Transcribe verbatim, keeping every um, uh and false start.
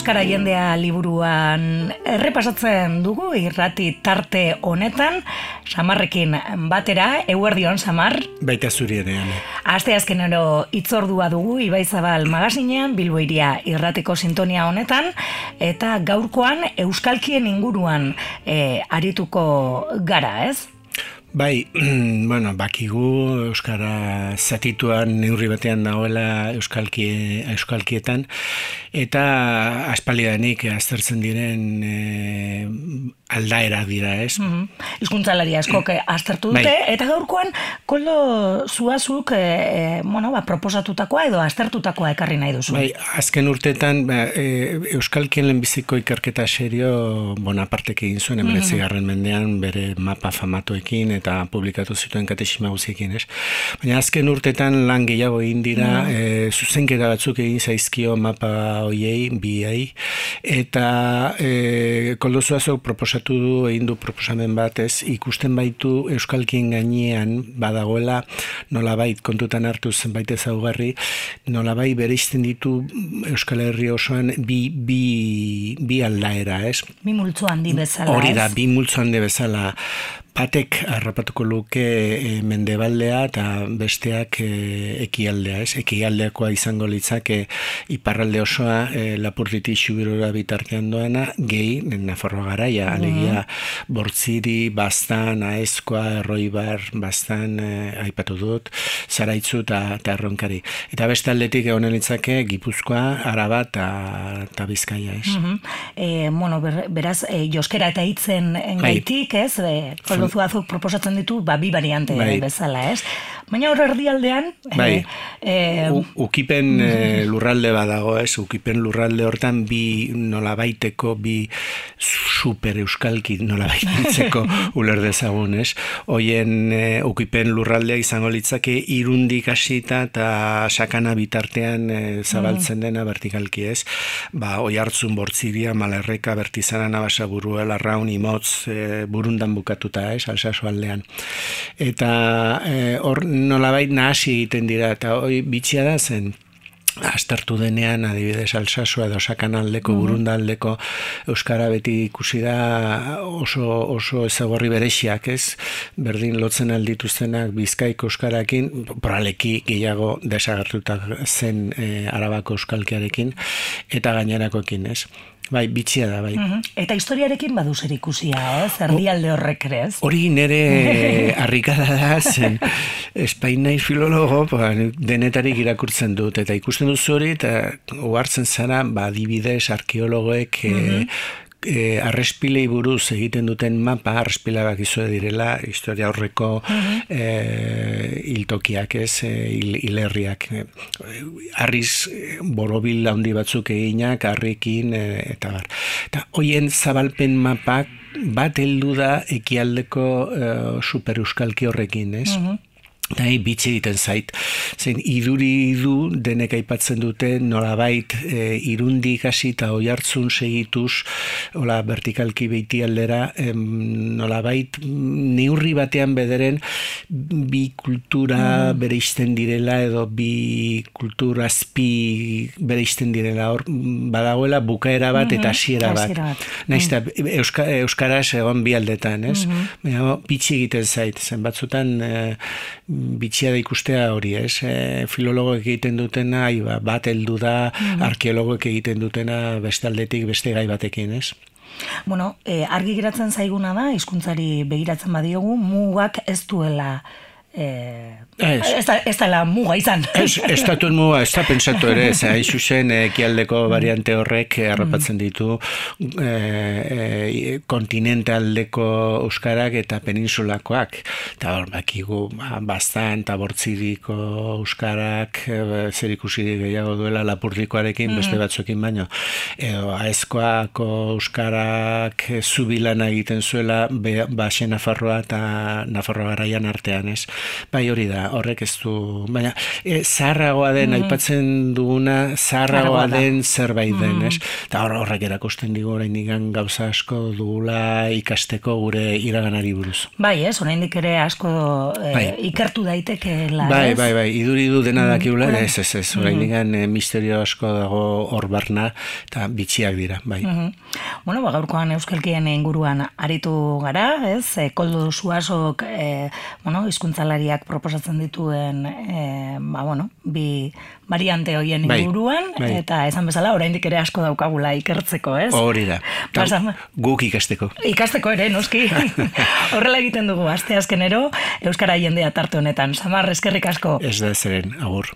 Euskara jendea liburuan errepasatzen dugu irrati tarte honetan, Samarrekin batera, eguerdion, Samar. Baita zuri ere, ane. Aste azkenero itzordua dugu Ibaizabal magazinean, Bilbo Hiria irratiko sintonia honetan, eta gaurkoan euskalkien inguruan e, arituko gara, ez? Bai, bueno, bakigu euskara zatituan neurri batean dagoela euskalkie, euskalkietan, eta aspaldidanik aztertzen diren e, aldaera dira, ez? Mm-hmm. Hizkuntzalari askok aztertu dute, bai. Eta gaurkoan Koldo Zuazuk e, e, bueno, ba, proposatutakoa edo aztertutakoa ekarri nahi duzu. Bai, azken urteetan ba, e, euskalkien lehenbiziko ikerketa serio Bonapartek egin zuen, emeretzi garren mendean bere mapa famatoekin eta publikatu zituen katexima guziekin, ez? Baina azken urtetan lan gehiago egin dira, mm. e, zuzenketa batzuk egin zaizkio mapa hoiei, biei, eta e, Koldo Zuazok proposatu du, egin du proposamen bat, ez, ikusten baitu euskalkien gainean badagoela nolabait kontutan hartu zenbait ezaugarri, nolabait bereizten ditu Euskal Herri osoan bi, bi, bi aldaera, ez? Bi multzo handi bezala, Hori da, ez? bi multzo handi bezala. Batek harrapatuko luke e, mendebaldea eta besteak e, ekialdea, ez? Ekialdeakoa izango litzake iparralde osoa e, Lapurditik Xubirora bitartean doana, gehi Nafarroa garaia, mm-hmm. alegia Bortziri, Baztan, Aezkoa, Erroibar, Baztan, e, aipatu dut, Zaraitzu eta Erronkari. Eta beste aldetik egonen litzake Gipuzkoa, Araba eta Bizkaia, ez? Mm-hmm. E, bueno, ber, beraz, e, joskera eta hitzen engaitik, ez? E, Zuazuk proposatzen ditu, ba, bi variante bai. Bezala, ez? Baina hor erdialdean... Bai, e, e, ukipen e, lurralde badago, ez? Ukipen lurralde hortan bi nolabaiteko, bi super euskalki nolabaitzeko uler dezagun, ez? Hoien e, ukipen lurraldea izango litzake irundik hasita eta sakana bitartean e, zabaltzen dena vertikalki, ez? Ba, Oiartzun, Bortziria, Malerreka, Bertizana, Nabasaburu, Larraun, Imotz, e, Burundan bukatuta, ez, Alsasu aldean. Eta hor e, nolabait nahasi egiten dira, eta hoi bitxia da zen, aztertu denean, adibidez, Alsasua edo Sakanaldeko, mm-hmm. Burundaldeko euskara beti ikusi da oso, oso ezagorri berexiak, ez? Berdin lotzen aldituztenak Bizkaiko euskarakin, poraleki gehiago desagertutak zen e, Arabako euskalkiarekin, eta gainerakoekin, ez? Bai, bitxia da, bai. Uh-huh. Eta historiarekin badu zer ikusia, ez? Erdialde horrek ere, ez? Hori nere harrikada da, zen espainaiz filologo, ba, denetarik irakurtzen dut, eta ikusten duzu hori, eta ohartzen zara, ba, adibidez, arkeologoek uh-huh. e, E, arrespilei buruz egiten duten mapa, arrespilabak izue direla, historia horreko uh-huh. e, iltokiak, ez, e, il, ilerriak. E, arriz borobil handi batzuk eginak, harrekin, e, eta bar. Eta hoien zabalpen mapak bat heldu da ekialdeko e, super euskalki horrekin, ez? Uh-huh. Eta bitxe egiten zait, zen iduri du denek aipatzen dute nolabait e, irundik hasi eta Oiartzun segituz, hola, vertikalki beiti aldera, em, nolabait neurri batean bederen bi kultura mm. bereizten direla edo bi kultura azpi bereizten direla, hor badagoela bukaera bat mm-hmm. eta hasiera bat. Naiz eta Euska, Euskaraz egon bi aldetan, ez? Mm-hmm. Bitxe egiten zait, zen batzutan e, bitxia da ikustea hori, ez? E, filologoek egiten dutena, iba, bat heldu da, mm-hmm. arkeologoek egiten dutena beste aldetik beste gai batekin, ez? Bueno, e, argi geratzen zaiguna da, hizkuntzari begiratzen badiogu, mugak ez duela eh, ez da, ez da la muga izan. Ez, ez datuen muga, ez da pentsatu ere, ez hain zuzen ekialdeko variante horrek harrapatzen ditu e, e, kontinentaldeko euskarak eta peninsulakoak. Eta hor, bakigu, Baztan eta Bortziriko euskarak e, zer ikusi gehiago duela Lapurdikoarekin, mm. beste batzuekin baino. Edo, Aezkoako euskarak zubilana egiten zuela Baxe Nafarroa eta Nafarroa garaian artean, ez? Bai, hori da, horrek ez du, baina e, zaharragoa den, mm. aipatzen duguna, zaharragoa den zerbait den, mm. ez? Eta horrek erakusten digu oraindik gauza asko dugula ikasteko gure iraganari buruz. Bai, ez, oraindik ere asko e, bai. ikertu daitekeela, bai, ez? Bai, bai, iduri du dena dakiula, mm. ez, ez, ez, oraindik mm. misterio asko dago hor barna, eta bitxiak dira, bai. Mm-hmm. Bueno, ba, gaurkoan euskalkien inguruan aritu gara, ez? E, Koldo Suasok, e, bueno, hizkuntzalariak proposatzen dituen, e, ba, bueno, bi variante hoien inguruan, bai, bai. Eta esan bezala, oraindik ere asko daukagula ikertzeko, ez? Hori da. Pasam... Guk ikasteko. Ikasteko ere, noski. Horrela egiten dugu, aste azkenero, euskara jendea tarte honetan. Samar, eskerrik asko. Ez da zeren, agur.